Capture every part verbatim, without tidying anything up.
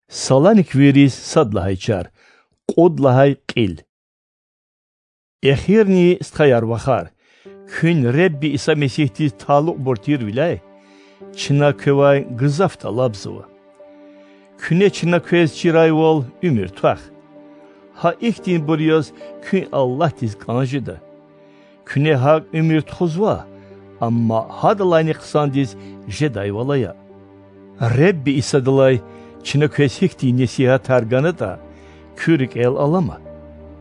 Саланиквийриз сад лагьай чар, кьуд лагьай кьил. Эхирни, стхаяр-вахар, куьн Худа Иса Месигьдиз талукьбур тирвиляй, чна квевай гзаф тӀалабзава. Куьне чна квез чирайвал уьмуьр твах. Гьа ихьтинбур яз куьн Аллагьдиз кӀан жеда. Куьне гьакӀ уьмуьр тухузва, амма гьадалайни хъсандиз жедайвал ая. Худа Исадилай чна квез гьихьтин несигьатар ганатӀа, куь рикӀел алама.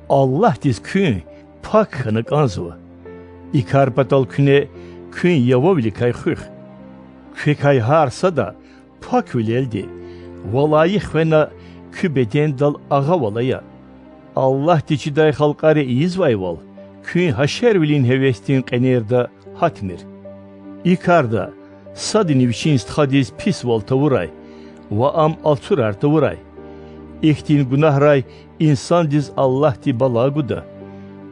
Аллагьдиз куьн пак хьана кӀанзава. И кар патал куьне куьн явавиликай хуьх. Квекай гьар сада паквилелди ва лайих хвена куь бедендал агъавал ая. Аллагьди чидай халкьари ийизвайвал, куьн гьашарвилин гьевесдин кьенерда гьатмир. И карда садани вичин стхадиз писвал тавурай ва ам алцурар тавурай. Ихьтин гунагьрай инсандиз Аллагьди бала гуда.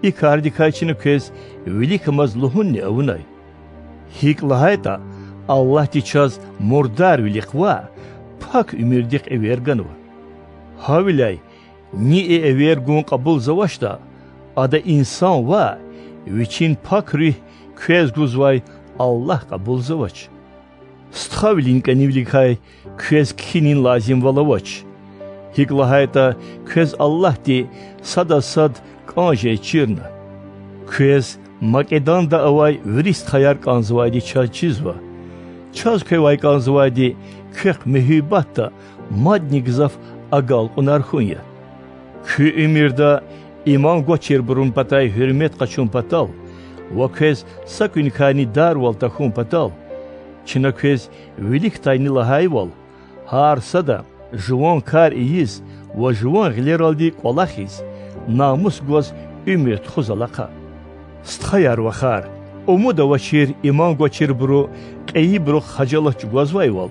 И кардикай чна квез виликамаз лугьунни авунай. ГьикӀ лагьайтӀа, Аллагьди чаз мурдарвилихъ ваъ, пак уьмуьрдихъ эвер ганва. Гьавиляй ни и эвер гун кьабулзавачтӀа, ада инсан ваъ, вичин пак руьгь квез гузвай Аллагь кьабулзавач. Стхавилин кӀанивиликай квез кхьинин лазимвал авач. ГьикӀ лагьайтӀа, квез Аллагьди садаз сад кӀан жез чирна. Квез Македонда авай вири стхаяр кӀанзавайди чаз чизва. Чаз квевай кӀанзавайди квехъ муьгьуьббатда мадни гзаф агалкьунар хьун я. Куь уьмуьрда иман гвачирбурун патай гьуьрмет къачун патал ва квез са куьникайни дарвал тахьун патал, чна квез виликдайни лагьайвал, гьар сада жуван кар ийиз ва жуван гъилералди кӀвалахиз, намус гваз уьмуьр тухуз алахъа. Стхаяр-вахар, умуд авачир иман гвачирбуру кьейибурухъ хажалат чӀугвазвайвал,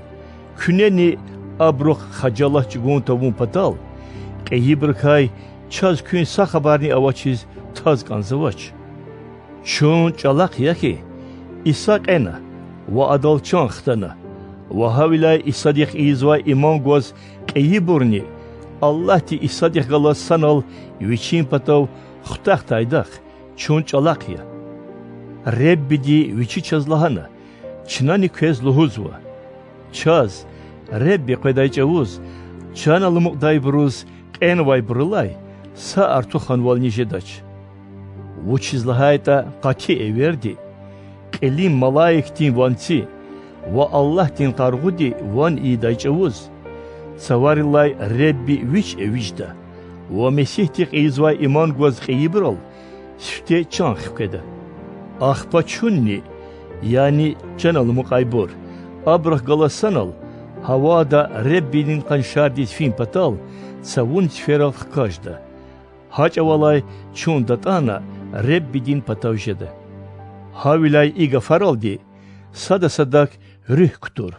куьнени абурухъ хажалат чӀугун тавун патал, кьейибурукай чаз куьн са хабарни авачиз таз кӀанзавач. Чун чӀалахъ я хьи, Иса кьена ва Адал чан хтана, ва гьавиляй Исадихъ ийизвай иман гваз кьейибурни Аллагьди Исадихъ галаз санал Вичин патав хутахтайдахъ, чун чӀалахъ я. Худади Вичи чаз лагьана: чнани квез лугьузва. Чаз, Худани къведай чӀавуз, чан аламукьдайбуруз кьенвайбурулай са артуханвални жедач. Вучиз лагьайтӀа къати эверди, кьилин малаикдин ванци ва Аллагьдин къаргъуди ван ийидай чӀавуз, цаварилай Худани Вич эвичӀда ва Месигьдихъ ийизвай иман гваз кьейибурал сифте чан хкведа. Ахпа чунни, яни чан аламукьайбур, абурухъ галаз санал гьавада Худадин къаншардиз фин патал цавун циферал хкажда. Гьа чӀавалай чун датӀана Худадин патав жеда. Гьавиляй и гафаралди сада садак руьгь кутур.